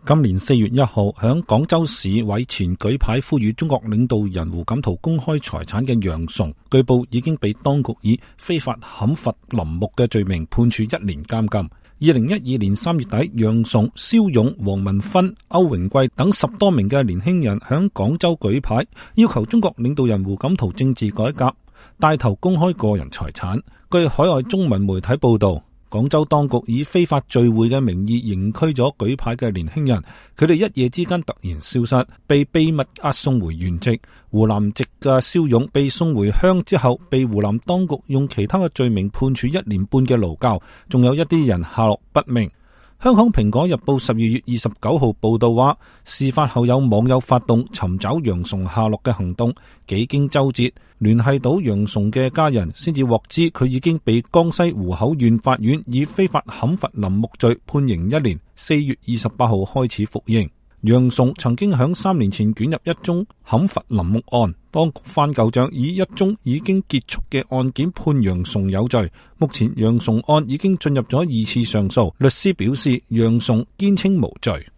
今年4月1號，響廣州市委前舉牌呼籲中國領導人胡錦濤公開財產嘅楊崇，據報已經被當局以非法砍伐林木嘅罪名判處1年監禁。2012年3月底，楊崇、肖勇、黃文芬、歐榮貴等10多名嘅年輕人響廣州舉牌，要求中國領導人胡錦濤政治改革，帶頭公開個人財產。據海外中文媒體報道，廣州當局以非法聚會嘅名義刑拘咗舉牌嘅年輕人，佢哋一夜之間突然消失，被秘密押送回原籍。湖南籍嘅肖勇被送回鄉之後，被湖南當局用其他嘅罪名判處1年半嘅勞教，仲有一啲人下落不明。香港蘋果日報12月29號報道話，事發後有網友發動尋找楊崇下落嘅行動，幾經周折，聯繫到楊崇嘅家人，先至獲知佢已經被江西湖口縣法院以非法砍伐林木罪判刑1年。4月28號開始服刑。楊崇曾經響3年前捲入一宗砍伐林木案，當局翻舊賬，以一宗已經結束嘅案件判楊崇有罪。目前楊崇案已經進入咗2次上訴，律師表示楊崇堅稱無罪。